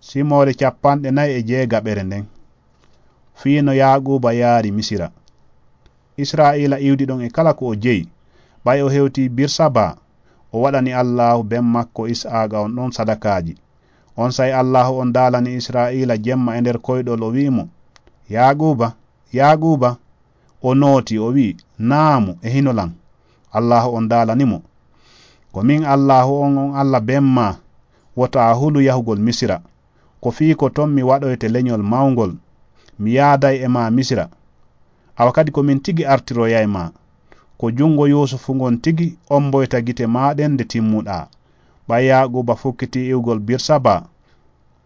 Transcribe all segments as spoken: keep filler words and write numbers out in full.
Simoore capanɗe nayi e jeegaɓere nden. Fii no Yaaquuba yaari Misira. Israa'iila iwdi ɗon e kala ko o jeyi. Ɓay o hewtii Birsaba, o waɗani Allaahu ben makko Isaaqa on ɗon sadakaaji. Onsay Allaahu on daalani Israa'iila jemma e nder koyɗol, o wi'i mo, "Yaaquuba, Yaaquuba." O nooti, o wi'i, "Naamu, e hino lan." Allaahu on daalani mo, "Ko min Allaahu on, on Alla ben maa, wota a hulu yahugol Misira. Ko fii ko ton mi waɗoyte leñol mawngol. Mi yaaday e maa Misira. Awa kadi ko min tigi artiroyay maa. Ko jungo Yuusufu ngon tigi omboyta gite maa ɗen nde timmuɗaa." Ɓay Yaaquuba fukkitii iwgol Birsaba,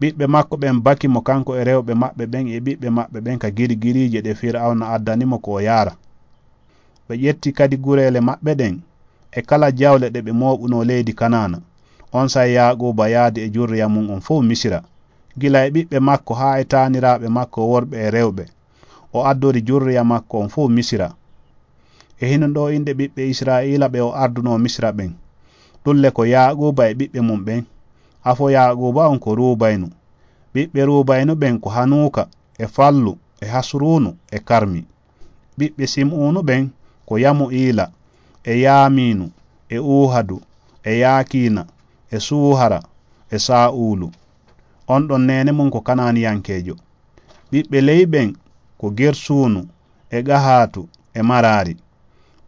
ɓiɓɓe makko ɓen baki mo, kanko e rewɓe maɓɓe ɓen e ɓiɓɓe maɓɓe ɓen, ka girigiriije ɗe Fir'awna addani mo ko o yaara. Ɓe ƴetti kadi gureele maɓɓe ɗen e kala jawle ɗe ɓe mooɓunoo leydi Kanaana. Onsay Yaaquuba yaadi e jurriya mun on fow Misira, gila e ɓiɓɓe makko haa e taaniraaɓe makko worɓe e rewɓe. O addori jurriya makko on fow Misira. E hinun ɗoo inɗe ɓiɓɓe Israa'iila ɓe o ardunoo Misira ɓen. Ɗun le ko Yaaquuba e ɓiɓɓe mun ɓen. Afo Yaaquuba on ko Ruubaynu. Ɓiɓɓe Ruubaynu ɓen ko Hanuuka, e Fallu, e Hasruunu, e Karmi. Ɓiɓɓe Sim'uunu ɓen ko Yamu'iila, e Yaamiinu, e Uuhadu, e Yaakiina, e Suuhara, e Saa'uulu. On ɗon neene mun ko Kanaaniyankeejo. Ɓiɓɓe Leyi ɓen ko Gersuunu, e Gahaatu, e Maraari.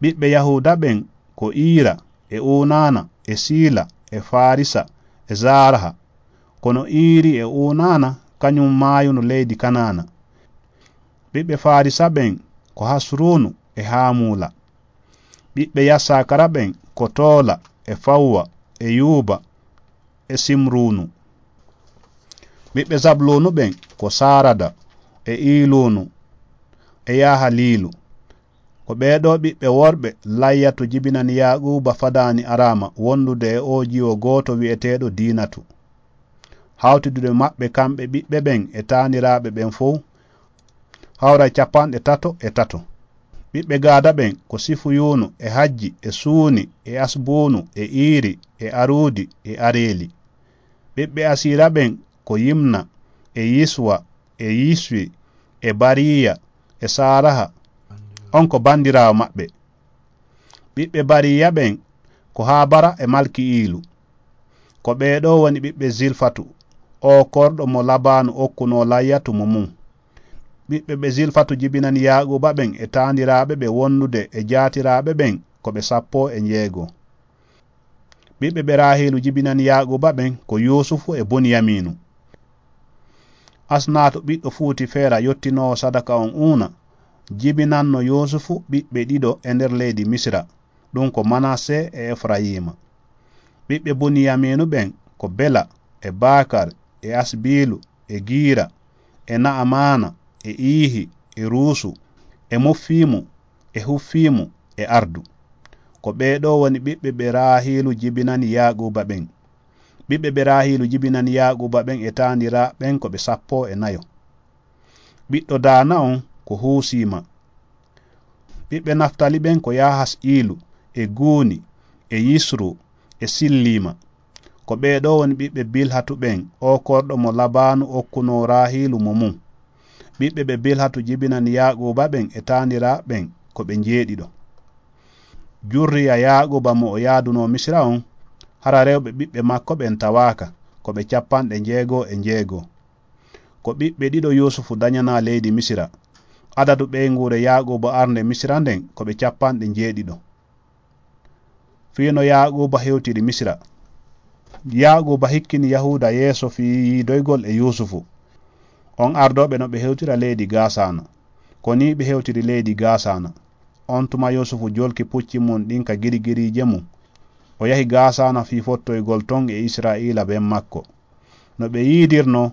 Ɓiɓɓe Yahuuda ɓen ko Iira, e Uunaana, e Siila, e Faarisa, e Zaaraha. Kono Iiri e Uunaana kañun maayuno leydi Kanaana. Ɓiɓɓe Faarisa ɓen ko Hasruunu e Haamuula. Ɓiɓɓe Yassakara ɓen ko Toola, e Fawwa, e Yuuba, e Simruunu. Ɓiɓɓe Zabluunu ɓen ko Saarada, e Iiluunu, e Yahaliilu. Ko ɓee ɗoo ɓiɓɓe worɓe Layyatu jibinani Yaaquuba fadaani araama wondude e oo jiwo gooto wi'eteeɗo Diinatu. Hawtidude maɓɓe kamɓe ɓiɓɓe ɓen e taaniraaɓe ɓen fow hawra capanɗe tato e tato. Ɓiɓɓe Gaada ɓen ko Sifuyuunu, e Hajji, e Suuni, e Asbuunu, e Iiri, e Aruudi, e Areeli. Ɓiɓɓe Asiira ɓen ko Yimna, e Yiswa, e Yiswi, e Bariya, e Saaraha. On ko bandiraawo maɓɓe. Ɓiɓɓe Bariya ɓen ko Haabara e Malki'iilu. Ko ɓee ɗoo woni ɓiɓɓe Zilfatu, oo korɗo mo Labaanu okkunoo Layyatu mo mun. Ɓiɓɓe ɓe Zilfatu jibinani Yaaquuba ɓen e taaniraaɓe ɓe wondude e jaatiraaɓe ɓen ko ɓe sappo e njeego. Ɓiɓɓe ɓe Raahiilu jibinani Yaaquuba ɓen ko Yuusufu e Buniyamiinu. Asnaato ɓiɗɗo Fuutifeera yottinoowo sadaka on Uuna jibinanno Yuusufu ɓiɓɓe ɗiɗo e nder leydi Misira, ɗun ko Manase e Efrayiima. Ɓiɓɓe Buniyamiinu ɓen ko Bela, e Baakar, e Asbiilu, e Giira, e Na'amaana, e Iihi, e Ruusu, e Muffiimu, e Huffiimu, e Ardu. Ko ɓee ɗoo woni ɓiɓɓe ɓe Raahiilu jibinani Yaaquuba ɓen. Ɓiɓɓe ɓe Raahiilu jibinani Yaaquuba ɓen e taaniraaɓe ɓen ko ɓe sappo e nayo. Ɓiɗɗo Daana on ko Huusiima. Ɓiɓɓe Naftali ɓen ko Yahas Iilu, e Guuni, e Yisru, e Silliima. Ko ɓee ɗoo woni ɓiɓɓe Bilhatu ɓen, oo korɗo mo Labaanu okkunoo Raahiilu mo mun. Ɓiɓɓe ɓe Bilhatu jibinani Yaaquuba ɓen e taaniraaɓe ɓen ko ɓe njeeɗiɗo. Jurriya Yaaquuba mo o yaadunoo Misira on, hara rewɓe ɓiɓɓe makko ɓen tawaaka, ko ɓe capanɗe njeego e njeego. Ko ɓiɓɓe ɗiɗo Yuusufu dañanaa leydi Misira. Adadu ɓeynguure Yaaquuba arnde Misira nden ko ɓe capanɗe njeeɗiɗo. Fii no Yaaquuba hewtiri Misira. Yaaquuba hikkini Yahuuda yeeso fii yiidoygol e Yuusufu. On ardooɓe no ɓe hewtira leydi Gaasaana. Ko nii ɓe hewtiri leydi Gaasaana. On tuma Yuusufu jolki pucci mun ɗin ka girigiriije mun. O yahi Gaasaana fii fottoygol ton e Israa'iila ben makko. No ɓe yiidirnoo,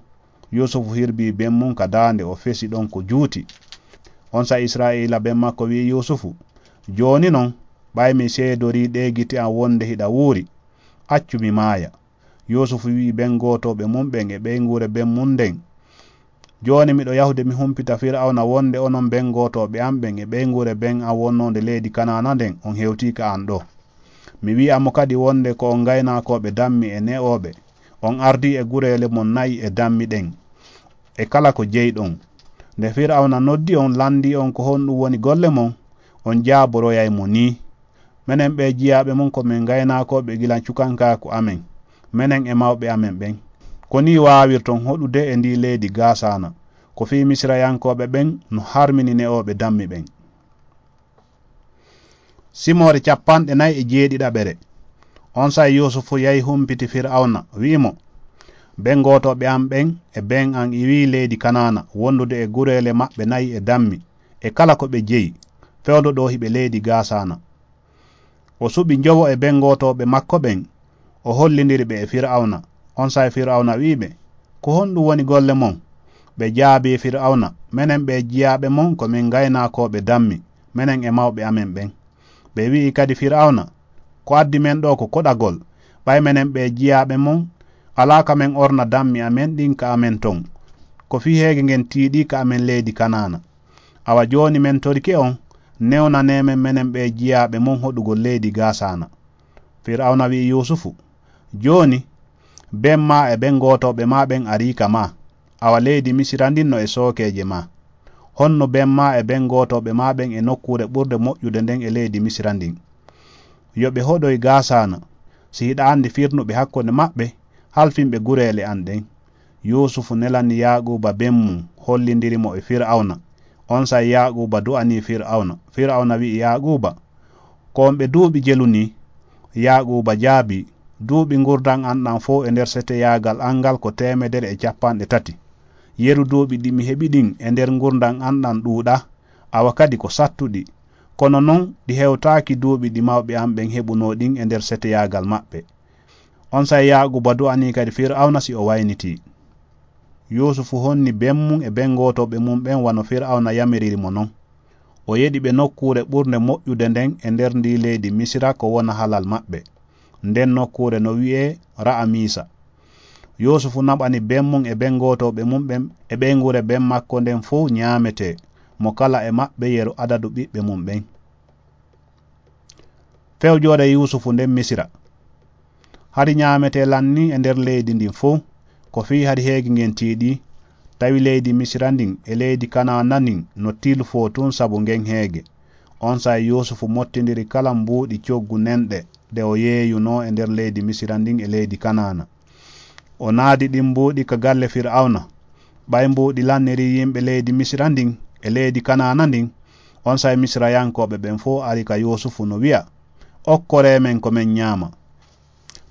Yuusufu hirbii ben mun ka daande, o fesi ɗon ko juuti. Onsay Israa'iila ben makko wi'i Yuusufu, "Jooni non, ɓay mi seedorii ɗee gite an wonde hiɗa wuuri, accu mi maaya." Yuusufu wi'i ben gootooɓe mun ɓen e ɓeynguure ben mun nden, "Jooni miɗo yahude mi humpita Fir'awna wonde onon ben gootooɓe an ɓen e ɓeynguure ben an wonnoonde leydi Kanaana nden on hewtii ka an ɗoo. Mi wi'a mo kadi wonde ko on ngaynaakooɓe dammi e ne'ooɓe, On ardii e gureele mon na'i e dammi ɗen, e kala ko jeyɗon. Nde Fir'awna noddi on, lanndii on ko honɗum woni golle mon, on jaaboroyay mo nii: Menen ɓee jiyaaɓe mon ko men ngaynaakooɓe gila cukankaaku amen, menen e mawɓe amen ɓen. Ko nii waawirton hoɗude e ndii leydi Gaasaana, ko fii Misirayankooɓe ɓen no harmini ne'ooɓe dammi ɓen. Simoore capanɗe nayi e jeeɗiɗaɓere. Onsay Yuusufu yahi humpiti Fir'awna, wi'i mo: Ɓen gootooɓe an ɓen e ɓen an iwii leydi Kanaana wondude e gureele maɓɓe nayi e dammi, e kala ko ɓe jeyi, fewndo ɗoo hiɓe leydi Gaasaana. O suɓi njowo e ɓen gootooɓe makko ɓen, o hollindiri ɓe e Fir'awna. Onsay Fir'awna wi'i ɓe: Ko honɗum woni golle mon? Ɓe jaabii Fir'awna: Menen ɓee jiyaaɓe mon ko men ngaynaakooɓe dammi, menen e mawɓe amen ɓen. Ɓe wi'i kadi Fir'awna: Ko addi men ɗoo ko koɗagol, ɓay menen ɓee jiyaaɓe mon alaa ka men orna dammi amen ɗin ka amen ton, ko fii heege ngen tiiɗii ka amen leydi Kanaana. Awa jooni men torike on, newnanee men menen ɓee jiyaaɓe mon hoɗugol leydi Gaasaana. Fir'awna wi'i Yuusufu: Jooni, ben maa e ɓen gootooɓe maa ɓen arii ka maa. Awa leydi Misira ndin no e sookeeje maa. Honno ben maa e ɓen gootooɓe maa ɓen e nokkuure ɓurde moƴƴude nden e leydi Misira ndin? Yo ɓe hoɗoy Gaasaana. Si hiɗa anndi firnuɓe hakkunde maɓɓe, halfin ɓe gureele an ɗen. Yuusufu nelani Yaaquuba ben mum, hollindiri mo e Fir'awna. Onsay Yaaquuba du'anii Fir'awna. Fir'awna wi'i Yaaquuba: Ko on ɓe duuɓi jelu nii? Yaaquuba jaabii: Duuɓi ngurndan an ɗan fow e nder seteyaagal an ngal ko teemedere e cappanɗe tati. Yeru duuɓi ɗi mi heɓi ɗin e nder ngurndan an ɗan ɗuuɗaa, awa kadi ko sattuɗi. Kono non, ɗi hewtaaki duuɓi ɗi mawɓe an ɓen heɓunoo ɗin e nder seteyaagal maɓɓe. Onsay Yaaquuba du'anii kadi Fir'awna si o waynitii. Yuusufu honni ben mum e ben gootooɓe mum ɓen wano Fir'awna yamiriri mo non. O yeɗi ɓe nokkuure ɓurnde moƴƴude nden e nder ndii leydi Misira ko wona halal maɓɓe. Nden nokkuure no wi'ee Ra'amiisa. Yuusufu naɓani ben mum e ben gootooɓe mum ɓen e ɓeynguure ben makko nden fow ñaametee, mo kala e maɓɓe yeru adadu ɓiɓɓe mum ɓen. Fewjoore Yuusufu nden Misira. Hari ñaametee lan nii e nder leydi ndin fow, ko fii hari heege ngen tiiɗii, tawi leydi Misira ndin e leydi Kanaana ndin no tilfoo tun sabu ngen heege. Onsay Yuusufu mottindiri kala mbuuɗi coggu nenɗe ɗe o yeeyunoo e nder leydi Misira ndin e leydi Kanaana. O naadi ɗin mbuuɗi ka galle Fir'awna. Ɓay mbuuɗi lannirii yimɓe leydi Misira ndin e leydi Kanaana ndin, onsay Misirayankooɓe ɓen fow ari ka Yuusufu no wi'a: Okkoree men ko men ñaama.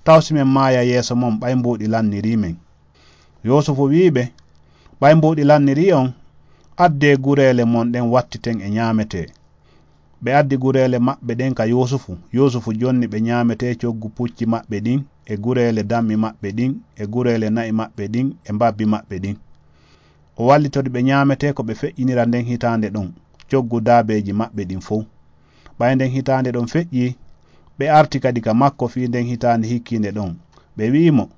Taw si men maaya yeeso mon ɓay mbuuɗi lannirii men. Yuusufu wi'i ɓe: Ɓay mbuuɗi lannirii on, addee gureele mon ɗen wattiten e ñaametee. Ɓe addi gureele maɓɓe ɗen ka Yuusufu. Yuusufu jonni ɓe ñaametee coggu pucci maɓɓe ɗin, e gureele dammi maɓɓe ɗin, e gureele na'i maɓɓe ɗin, e mbabbi maɓɓe ɗin. O wallitori ɓe ñaametee ko ɓe feƴƴinira nden hitaande ɗon, coggu daabeeji maɓɓe ɗin fow. Ɓay nden hitaande ɗon feƴƴii, ɓe arti kadi ka makko fii nden hitaande hikkiinde ɗon. Ɓe wi'i mo: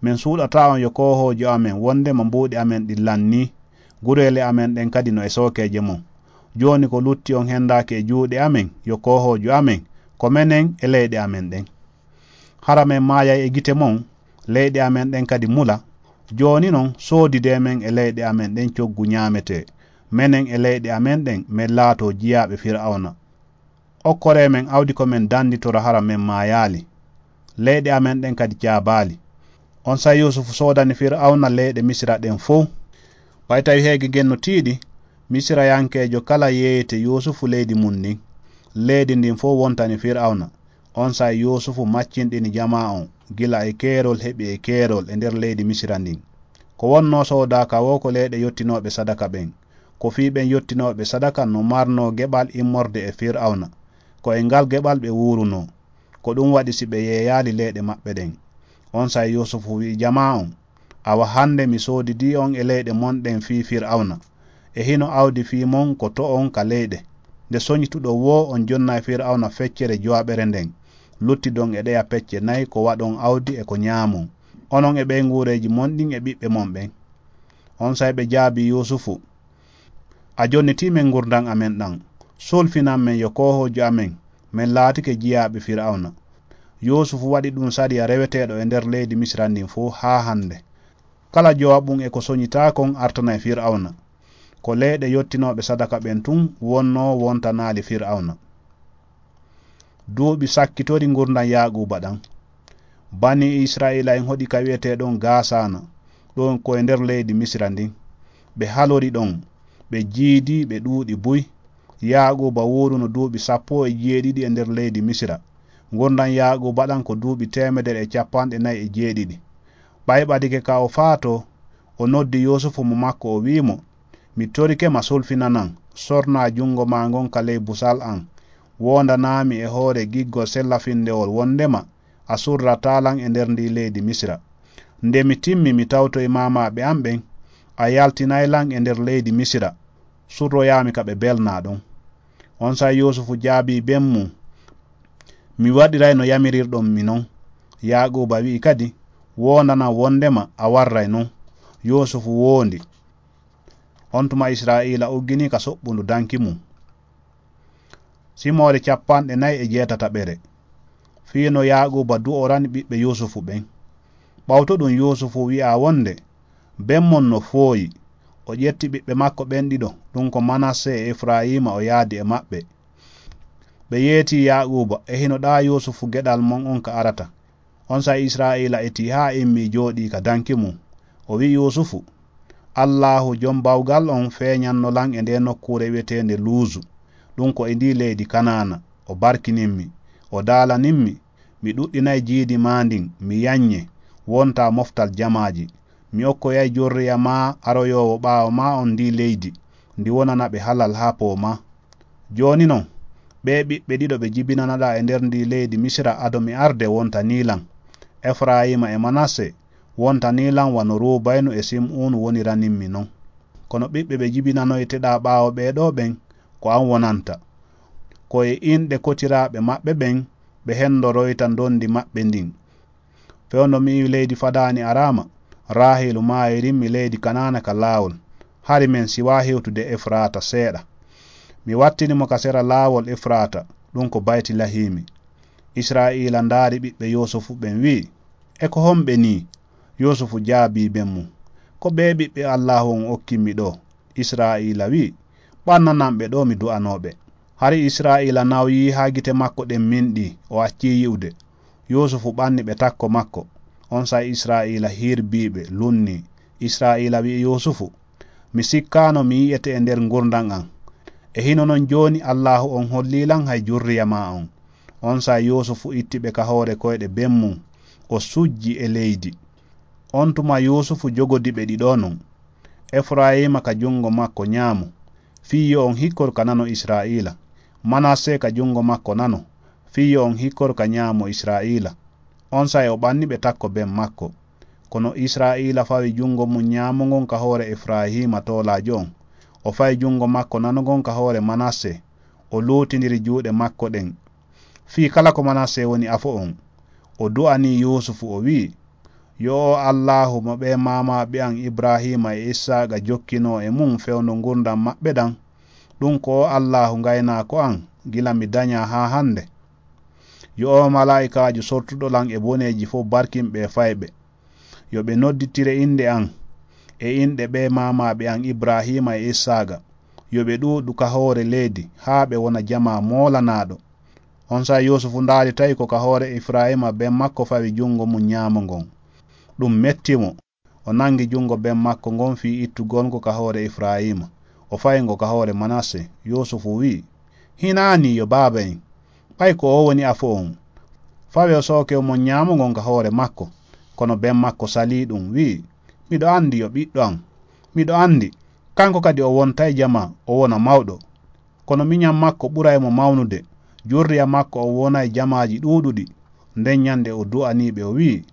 Men suuɗataa on yo koohoojo amen, wondema mbuuɗi amen ɗin lannii, gureele amen ɗen kadi no e sookeeje mon. Jooni ko lutti on hendaaki e juuɗe amen, yo koohoojo amen, ko menen e leyɗe amen ɗen. Hara men maayay e gite mon, leyɗe amen ɗen kadi mula. Jooni non, soodidee men e leyɗe amen ɗen coggu ñaametee, menen e leyɗe amen ɗen, men laatoo jiyaaɓe Fir'awna. Okkoree men awdi ko men danditora hara men maayaali. Leyɗe amen ɗen kadi caabaali. Onsay Yuusufu soodani Fir'awna leyɗe Misira ɗen fow. Ɓay tawi heege gen no tiiɗi, Misirayankeejo kala yeeyete Yuusufu leydi mun ndin. Leydi ndin fow wontani Fir'awna. Onsay Yuusufu maccinɗini jamaa on, gila e keerol heɓi e keerol e nder leydi Misira ndin. Ko wonnoo soodaaka woo ko leyɗe yottinooɓe sadaka ɓen. Ko fii ɓen yottinooɓe sadaka no marnoo geɓal immorde e Fir'awna. Ko e ngal geɓal ɓe wuurunoo. Ko ɗum waɗi si ɓe yeeyaali leyɗe maɓɓe ɗen. Onsay Yuusufu wi'i jamaa on: Awa hande mi soodidii on e leyɗe mon ɗen fii Fir'awna. E hino awdi fii mon ko to on ka leyɗe. Nde soñituɗon woo on jonnay Fir'awna feccere jowaɓere nden, luttidon e ɗeya pecce nay ko waɗon awdi e ko ñaamon, onon e ɓeynguureeji mon ɗin e ɓiɓɓe mon ɓen. Onsay ɓe jaabii Yuusufu: A jonnitii men ngurndan amen ɗan. Sulfinan men yo koohoojo amen, men laatike jiyaaɓe Fir'awna. Yuusufu waɗi ɗum sariya reweteeɗo e nder leydi Misira ndin fuu haa hannde. Kala jowaɓun e ko soñitaa kon artanay Fir'awna. Ko leyɗe yottinooɓe sadaka ɓen tun wonnoo wontanaali Fir'awna. Duuɓi sakkitori ngurndan Yaaquuba ɗan. Banii Isra'iila'en hoɗi ka wi'eteeɗon Gaasaana, ɗon ko e nder leydi Misira ndin. Ɓe halori ɗon, ɓe jiidi, ɓe ɗuuɗi buy. Yaaquuba wuuruno duuɓi sappo e jeeɗiɗi e nder leydi Misira. Ngurndan Yaaquuba ɗan ko duuɓi teemedere e capanɗe nayi e jeeɗiɗi. Ɓay ɓadike ka o faatoo, o noddi Yuusufu mo makko, o wi'i mo, "Mi torike ma sulfinanan, sornaa jungo maa ngon ka ley busal an. Woondanaami e hoore giggol sellafindewol wondema a surrataa lan e nder ndii leydi Misira. Nde mi timmi, mi tawtoyi maamaaɓe an ɓen, a yaltinay lan e nder leydi Misira, surroyaami ka ɓe belnaa ɗon." Onsay Yuusufu jaabii ben mun, "Mi waɗiray no yamirirɗon mi non." Yaaquuba wi'i kadi, "Woondanan wondema a warray non." Yuusufu woondi. On tuma Isra'iila ugginii ka soɓɓundu danki mun. Simoore capanɗe nayi e jeetataɓere. Fii no Yaaquuba du'orani ɓiɓɓe Yuusufu ɓen. Ɓawto ɗum Yuusufu wi'a wonde, ben mon no fooyi. O ƴetti ɓiɓɓe makko ɓen ɗiɗo, ɗum ko Manasse e Efrayiima, o yaadi e maɓɓe. Ɓe yeetii Yaaquuba, e hino ɗaa Yuusufu geɗal mon on ka arata. Onsay Isra'iila etii haa immii jooɗii ka danki mun. O wi'i Yuusufu, "Allaahu Jom Bawgal on feeɲanno lan e ndee nokkuure wi'eteende Luuzu, ɗum ko e ndii leydi Kanaana. O barkinim mi, o daalanim mi, mi ɗuɗɗinay jiidi maa ndin, mi yaɲɲe, wontaa moftal jamaaji. Mi okkoyay jorriya maa aroyoowo ɓaawo maa on ndii leydi, ndi wonana ɓe halal haa poomaa. Jooni non, ɓee ɓiɓɓe ɗiɗo ɓe jibinanaɗaa e nder ndii leydi Misira ado mi arde wontanii lan, Efrayiima e Manasse, wontanii lan wano Ruubaynu e Sim'uunu woniranin mi non. Kono ɓiɓɓe ɓe jibinanoyteɗaa ɓaawo ɓee ɗoo ɓen, ko an wonanta. Ko e inɗe kotiraaɓe maɓɓe ɓen ɓe hendoroyta ndondi maɓɓe ndin." Fewndo mi iwi leydi fadaani araama, Raahiilu maayirin mi leydi Kanaana ka laawol, hari men siwaa hewtude Efraata seeɗa. Mi wattini mo ka sera laawol Efraata, ɗum ko Baytilahiimi. Isra'iila ndaari ɓiɓɓe Yuusufu ɓen, wi'i, "E ko homɓe nii?" Yuusufu jaabii ben mum, "Ko ɓee ɓiɓɓe Allaahu on okkimmi ɗoo." Isra'iila wi'i, "Ɓannanan ɓe ɗoo mi du'anoo ɓe." Hari Isra'iila nawyii haa gite makko ɗen minɗii, o accii yi'ude. Yuusufu ɓanni ɓe takko makko. Onsay Isra'iila hirbii ɓe, lunnii. Isra'iila wi'i Yuusufu, "Mi sikkaano mi yi'ete e nder ngurndan an. E hino non jooni Allaahu on hollii lan hay jurriya maa on." Onsay Yuusufu itti ɓe ka hoore koyɗe ben mum, o sujji e leydi. On tuma Yuusufu jogodi ɓe ɗiɗo non, Efurayiima ka jungo makko ɲaamo, fii yo on hikkor ka nano Isra'iila, Manasse ka jungo makko nano, fii yo on hikkor ka ɲaamo Isra'iila. Onsay o ɓanni ɓe takko ben makko. Kono Isra'iila fawi jungo mum ɲaamo ngon ka hoore Efurayiima toolaajo on, o fayi jungo makko nano ngon ka hoore Manasse, o luutindiri juuɗe makko ɗen. Fii kala ko Manasse woni afo on, o du'anii Yuusufu, o wi'i, "Yo o Allaahu mo ɓee maamaaɓe an Ibrahiima e Issaaqa jokkinoo e mum fewndo ngurndan maɓɓe ɗan, ɗum ko o Allaahu ngaynaako an gila mi daɲaa haa hande. Yo o malaa'ikaajo sortuɗo lan e boneeji fow barkin ɓee fayɓe. Yo ɓe nodditire innde an e inɗe ɓee maamaaɓe an Ibrahiima e Issaaqa. Yo ɓe ɗuuɗu ka hoore leydi haa ɓe wona jamaa moolanaaɗo." Onsay Yuusufu ndaari tawi ko ka hoore Efurayiima ben makko fawi jungo mum ɲaamo ngon. Ɗum metti mo. O nangi jungo ben makko ngon fii ittugol ngo ka hoore Efurayiima, o fayi ngo ka hoore Manasse. Yuusufu wi'i, "Hinaa nii yo baaba en, ɓay ko o woni afo on. Fawee sooke mon ɲaamo ngon ka hoore makko." Kono ben makko salii ɗum, wi'i, "Miɗo andi yo ɓiɗɗo an. Miɗo andi, kanko kadi o wontay jamaa, o wona mawɗo. Kono miɲan makko ɓuray mo mawnude, jurriya makko on wonay jamaaji ɗuuɗuɗi." Nden ɲande o du'anii ɓe, o wi'i,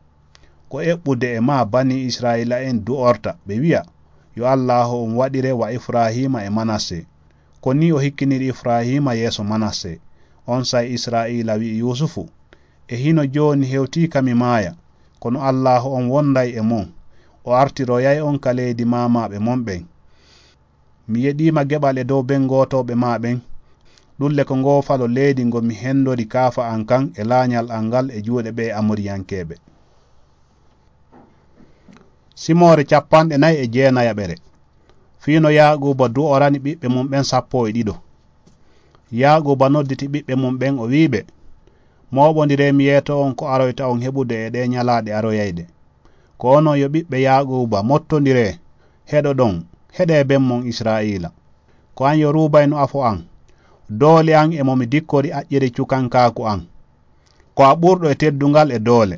"Ko eɓɓude e maa banii Isra'iila'en du'orta, ɓe wi'a, 'Yo Allaahu on waɗire wa Efurayiima e Manasse.'" Ko nii o hikkiniri Efurayiima yeeso Manasse. Onsay Isra'iila wi'i Yuusufu, "E hino jooni hewtii ka mi maaya, kono Allaahu on wonday e mon. O artiroyay on ka leydi maamaaɓe mon ɓen. Mi yeɗiima geɓal e dow ben gootooɓe maa ɓen." Ɗulle ko ngoofalo leydi ngo mi henndori kaafa an kan e laañal an ngal e juuɗe ɓee Amoriyankeeɓe. Simoore capanɗe nayi e jeenayaɓere. Fii no Yaaquuba du'orani ɓiɓɓe mum ɓen sappo e ɗiɗo. Yaaquuba nodditi ɓiɓɓe mum ɓen, o wi'i ɓe, mooɓondiree mi yeeto on ko aroyta on heɓude e ɗee ñalaaɗe aroyayɗe. Ko onon yo ɓiɓɓe Yaaquuba, mottondiree, heɗoɗon, heɗee ben mon Israa'iila. Ko an yo Ruubaynu afo an, doole an e mo mi dikkori aƴƴere cukankaaku an. Ko a ɓurɗo e teddungal e doole.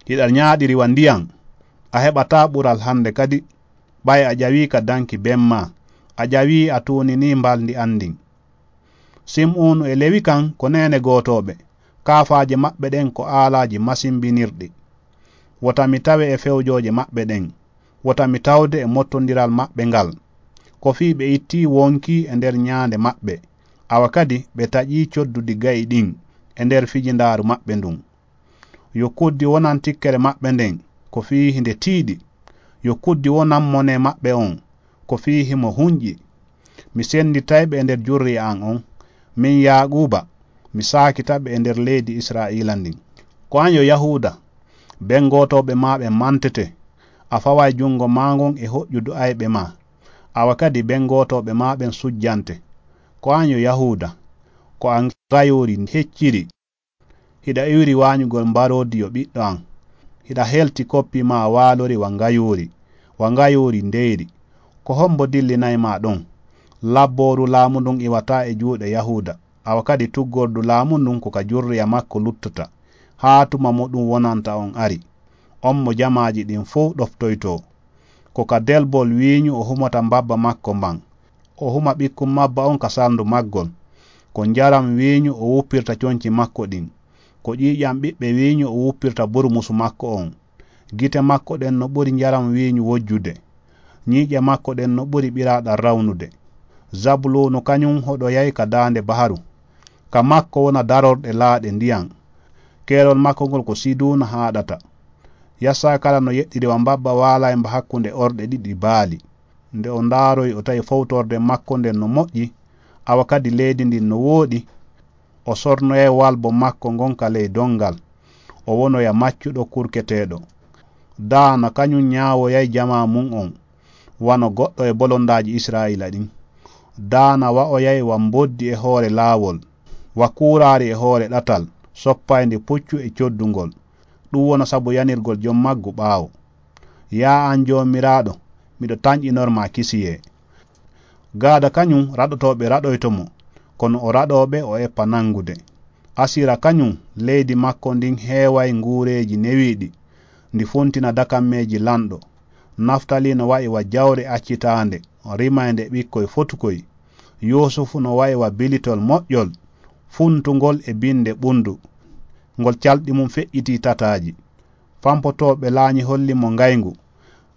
Hiɗa ñaaɗiri wa ndiyan, a heɓataa ɓural hannde kadi, ɓay a ƴawii ka danki ben maa, a ƴawii a tuuninii mbalndi an ndin. Sim'uunu e Lewi kan ko neene gootooɓe, kaafaaje maɓɓe ɗen ko aalaaji masimbinirɗi. Wota mi tawe e fewjooje maɓɓe ɗen, wota mi tawde e mottondiral maɓɓe ngal. Ko fii ɓe ittii wonkii e nder ñaande maɓɓe, awa kadi ɓe taƴii coddudi ga'i ɗin e nder fijindaaru maɓɓe ndun. Yo kuddi wonan tikkere maɓɓe nden, ko fii hinde tiiɗi. Yo kuddi wonan mone maɓɓe on, ko fii himo hunƴi. Mi sennditay ɓe e nder jurriya an on. Min Yaaquuba, mi saakita ɓe e nder leydi Israa'iila ndin. Ko an yo Yahuuda, ben gootooɓe maa ɓen mantete. A faway junngo maa ngon e hoƴƴudu ayɓe maa. Awa kadi ben gootooɓe maa ɓen sujjante. Ko an yo Yahuuda, ko a ngayoori hecciri. Hiɗa iwri waañugol mbaroodi yo ɓiɗɗo an. Hiɗa helti koppi maa waalori wa ngayoori, wa ngayoori ndeyri. Ko hombo dillinay maa ɗon? Labbooru laamu ndun iwataa e juuɗe Yahuuda, awa kadi tuggordu laamu ndun ko ka jurriya makko luttata, haa tuma mo ɗun wonanta on ari. On mo jamaaji ɗin fow ɗoftoytoo. Ko ka delbol wiiñu o humata mbabba makko mban. O huma ɓikkun mabba on ka salndu maggol. Ko njaram wiiñu o wuppirta conci makko ɗin. Ko ƴiiƴan ɓiɓɓe wiiñu o wuppirta burmusu makko on. Gite makko ɗen no ɓuri njaram wiiñu wojjude. Ñiiƴe makko ɗen no ɓuri ɓiraaɗam rawnude. Zabuluunu kañun hoɗoyay ka daande baharu. Ka makko wona darorɗe laaɗe ndiyan. Keerol makko ngol ko Siduuna haaɗata. Yassa kala no yeɗɗiri wa mbabba waalay mba hakkunde orɗe ɗiɗi baali. Nde o ndaaroyi, o tawi fowtorde makko nden no moƴƴi, awa kadi leydi ndin no wooɗi. O sornoyay walbo makko ngon ka ley dongal, o wonoya maccuɗo kurketeeɗo. Daana kañun ñaawoyay jamaa mun on, wano goɗɗo e bolondaaji Israa'iila ɗin. Daana wa'oyay wa mboddi e hoore laawol, wa kuuraari e hoore ɗatal, soppayndi puccu e coddungol. Ɗun wona sabu yanirgol jom maggu ɓaawo. Yaa an Joomiraaɗo, miɗo tanƴinor ma kisiyee. Gaada kañun raɗotooɓe raɗoyto mo, kono o raɗooɓe o eppa nangude. Asira kañun, leydi makko ndin heeway nguureeji newiiɗi, ndi funtina dakammeeji lanɗo. Naftali no wa'i wa jawre accitaande, rimaynde ɓikkoy fotukoy. Yuusufu no wa'i wa bilitol moƴƴol, funtungol e binnde ɓunndu, ngol calɗi mum feƴƴitii tataaji. Fampotooɓe laañi holli mo ngayngu,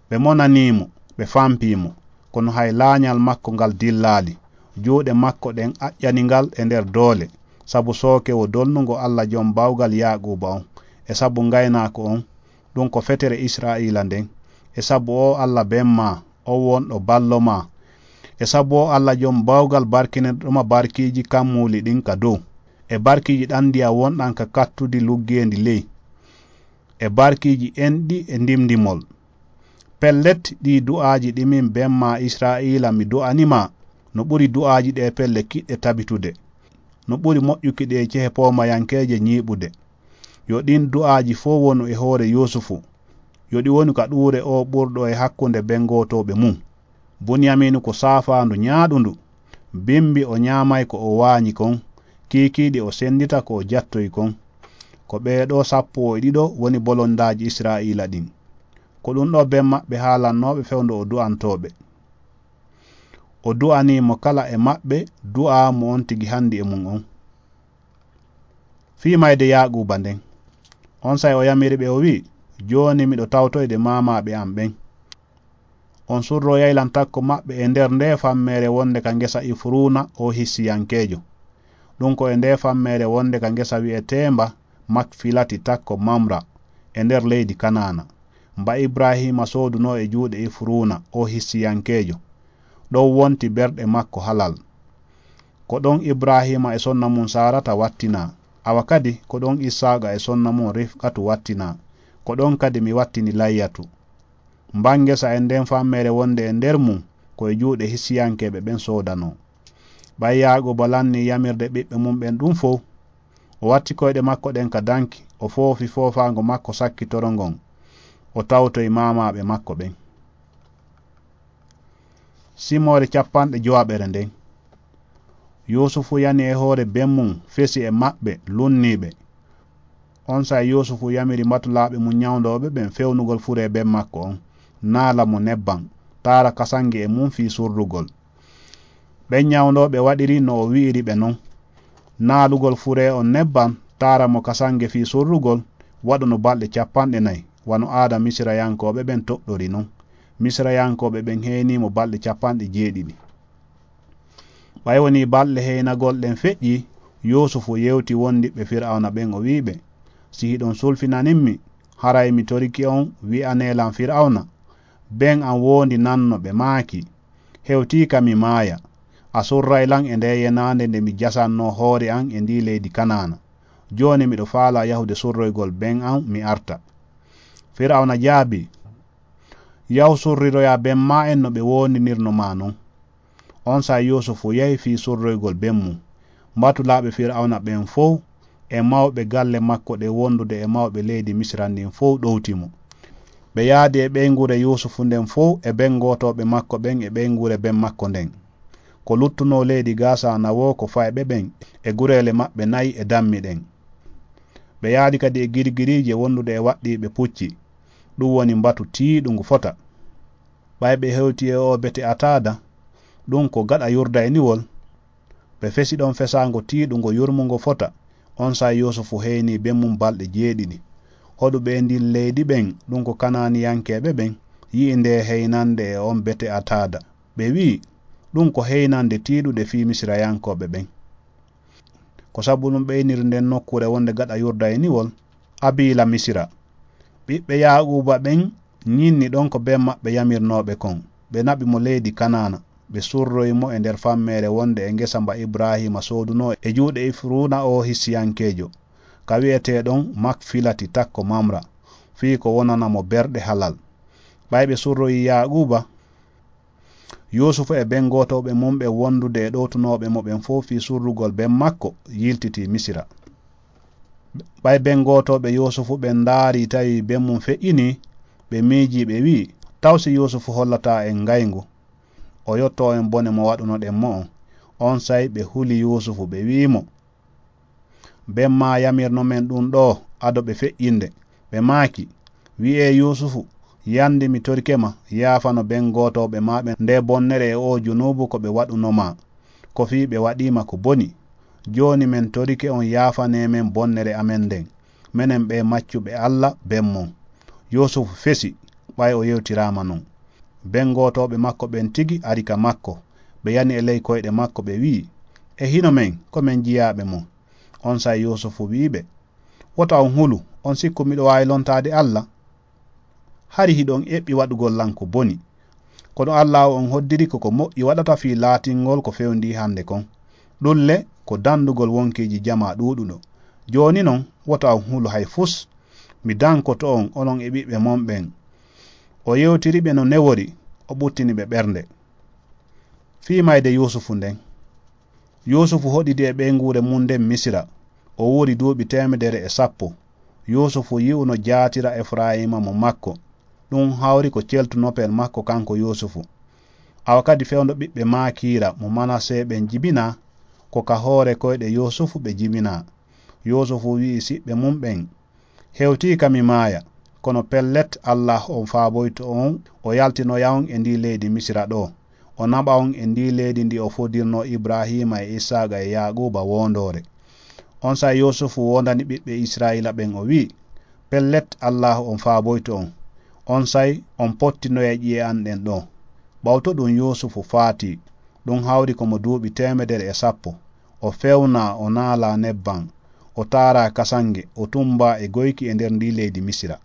ɓe monanii mo, ɓe fampii mo, kono hay laañal makko ngal dillaali. Juuɗe makko ɗen aƴƴani ngal e nder doole, sabu sookewo dolnungo Alla Jom Bawgal Yaaquuba on, e sabu ngaynaako on, ɗun ko fetere Israa'iila nden, e sabu oo Alla ben maa, on wonɗo ballo maa, e sabu oo Alla Jom Bawgal barkinirɗo ma barkiiji kammuuli ɗin ka dow, e barkiiji ɗan ndiyan wonɗan ka kattudi luggeendi ley, e barkiiji enɗi e ndimndimol. Pellet, ɗii du'aaji ɗi min ben maa Israa'iila mi du'ani ma, no ɓuri du'aaji ɗee pelle kiɗɗe tabitude, no ɓuri moƴƴuki ɗee cehe poomayankeeje ñiiɓude. Yo ɗin du'aaji fow wonu e hoore Yuusufu. Yo ɗi wonu ka ɗuure oo ɓurɗo e hakkunde ben gootooɓe mun. Buniyamiinu ko saafaandu ñaaɗundu. Bimbi o ñaamay ko o waañi kon, kiikiiɗe o senndita ko o jattoyi kon. Ko ɓee ɗoo sappo e ɗiɗo woni bolondaaji Israa'iila ɗin. Ko ɗun ɗoo ben maɓɓe haalannoo ɓe fewndo o du'antoo ɓe. O du'anii mo kala e maɓɓe du'aa mo on tigi hanndi e mun on. Fii mayde Yaaquuba nden, onsay o yamiri ɓe, o wi'i, "Jooni miɗo tawtoyde maamaaɓe an ɓen." On surroyay lan takko maɓɓe e nder ndee fammeere wonnde ka ngesa Ifuruuna oo Hissiyankeejo. Ɗun ko e ndee fammeere wonnde ka ngesa wi'eteemba Makfilati takko Mamra e nder leydi Kanaana, mba Ibrahiima soodunoo e juuɗe Ifuruuna oo Hissiyankeejo. Ɗon wonti berɗe makko halal. Ko ɗon Ibrahiima e sonna mum Saarata wattinaa, awa kadi ko ɗon Issaaqa e sonna mum Rifqatu wattinaa, ko ɗon kadi mi wattini Layyatu. Mbaa ngesa e ndeen fammeere wonnde e nder mum ko e juuɗe hissiyankeeɓe ɓen soodanoo. Ɓay Yaaquuba lannii yamirde ɓiɓɓe mum ɓen ɗum fow, o watti koyɗe makko ɗen ka danki, o foofi foofaango makko sakkitoro ngon, o tawtoyi maamaaɓe makko ɓen. Simoore capanɗe jowaɓere nden. Yuusufu yani e hoore ben mum, fesi e maɓɓe, lunnii ɓe. Onsay Yuusufu yamiri mbatulaaɓe mum ñawndooɓe ɓen fewnugol furee ben makko on, naala mo nebbam, taara kasange e mum fii surrugol. Ɓen ñawndooɓe waɗiri no o wi'iri ɓe non. Naalugol furee on nebbam, taara mo kasange fii surrugol, waɗuno balɗe capanɗe nayi, wano aada Misirayankooɓe ɓen toɗɗori non. Misirayankooɓe ɓen heynii mo balɗe capanɗe jeeɗiɗi. Ɓay wonii balɗe heynagol ɗen feƴƴii, Yuusufu yewti wondiɓɓe Fir'awna ɓen, o wi'i ɓe, "Si hiɗon sulfinanin mi, haray mi torike on, wi'anee lan Fir'awna, ben an woondinanno ɓe maaki, 'Hewtii ka mi maaya, a surray lan e ndee yenaande nde mi jasannoo hoore an e ndii leydi Kanaana.' Jooni miɗo faalaa yahude surroygol ben an, mi arta." Fir'awna jaabii, "Yahu surriroyaa ben maa en no ɓe woondinirnoo maa non." Onsay Yuusufu yahi fii surroygol ben mum. Mbatulaaɓe Fir'awna ɓen fow e mawɓe galle makko ɗen wondude e mawɓe leydi Misira ndin fow ɗowti mo. Ɓe yaadi e ɓeynguure Yuusufu nden fow e ben gootooɓe makko ɓen e ɓeynguure ben makko nden. Ko luttunoo leydi Gaasa ana woo ko fayɓe ɓen e gureele maɓɓe nayi e dammi ɗen. Ɓe yaadi kadi e girgiriije wondude e waɗɗiiɓe pucci, ɗum woni mbatu tiiɗungu fota. Ɓay ɓe hewti e oo bete Ataada, ɗum ko gaɗa Yurdayniwol, ɓe fesi ɗon fesaango tiiɗungo yurmungo fota. Onsay Yuusufu heynii ben mum balɗe jeeɗiɗi. Hoɗuɓe e ndin leydi ɓen, ɗum ko Kanaaniyankeeɓe ɓen, yi'i ndee heynande e on bete Ataada. Ɓe wi'i, "Ɗum ko heynande tiiɗude fii Misirayankooɓe ɓen." Ko sabu ɗum ɓe iniri nden nokkuure wonde gaɗa Yurdayniwol, Abiila Misira. Ɓiɓɓe Yaaquuba ɓen ñinni ɗon ko ben maɓɓe yamirnooɓe kon. Ɓe naɓi mo leydi Kanaana. Ɓe surroyi mo e nder fammeere wonde e ngesa mba Ibrahiima soodunoo e juuɗe Ifruuna oo Hissiyankeejo, ka wi'eteeɗon Makfilati takko Mamra, fii ko wonana mo berɗe halal. Ɓay ɓe surroyi Yaaquuba, Yuusufu e ben gootooɓe mum ɓen wondude e ɗowtunooɓe mo ɓen fow fii surrugol ben makko, yiltitii Misira. Ɓay ben gootooɓe Yuusufu ɓen ndaarii, tawi ben mum feƴƴinii, ɓe miijii, ɓe wi'i, "Taw si Yuusufu hollataa en ngayngu, o yottoo en bone mo waɗunoɗen mo on?" Onsay ɓe huli Yuusufu, ɓe wi'i mo, "Ben maa yamirno men ɗum ɗoo ado ɓe feƴƴinde." Ɓe maaki, "Wi'ee Yuusufu, yandi mi torike ma, yaafano ben gootooɓe maa ɓen ndee bonnere e oo junuubu ko ɓe waɗuno maa, ko fii ɓe waɗii ma ko boni. Jooni men torike on yaafanee men bonnere amen nden, menen ɓee maccuɓe Alla ben mon." Yuusufu fesi, ɓay o yewtiraama non. Ben gootooɓe makko ɓen tigi ari ka makko, ɓe yani e ley koyɗe makko, ɓe wi'i, "E hino men, ko men jiyaaɓe mon." Onsay Yuusufu wi'i ɓe, "Wota on hulu, on sikku miɗo waawi lontaade Alla? Hari hiɗon eɓɓi waɗugol lan ko boni. Kono Allaahu on hoddiri ko ko moƴƴi waɗata fii laatingol ko fewndii hande kon. Ɗun le ko dandugol wonkiiji jamaa ɗuuɗuɗo. Jooni non, wota on hulu hay fus. Mi dankoto on, onon e ɓiɓɓe mon ɓen." O yewtiri ɓe no newori, o ɓuttini ɓe ɓernde. Fii mayde Yuusufu nden. Yuusufu hoɗidi e ɓeynguure mum nden Misira. O wuuri duuɓi teemedere e sappo. Yuusufu yi'uno jaatira Efurayiima mo makko. Ɗum hawri ko celtunopel makko kanko Yuusufu. Awa kadi fewndo ɓiɓɓe Maakiira mo Manase ɓen jibinaa, ko ka hoore koyɗe Yuusufu ɓe jibinaa. Yuusufu wi'i siɓɓe mum ɓen, "Hewtii ka mi maaya, kono pellet, Allah on faaboyto on, o yaltinoya on e ndii leydi Misira ɗoo, o naɓa on e ndii leydi ndi o fodirnoo Ibraahiima e Isaaqa e Yaaquuba woondoore." Onsay Yuusufu woondani ɓiɓɓe Israa'iila ɓen, o wi'i, "Pellet, Allah on faaboyto on. Onsay on pottinoya ƴi'e an ɗen ɗoo." Ɓawto ɗum Yuusufu faatii, ɗum hawri ko mo duuɓi teemedere e sappo. O fewnaa, o naalaa nebbam, o taaraa kasange, o tummbaa e goyki e nder ndii leydi Misira.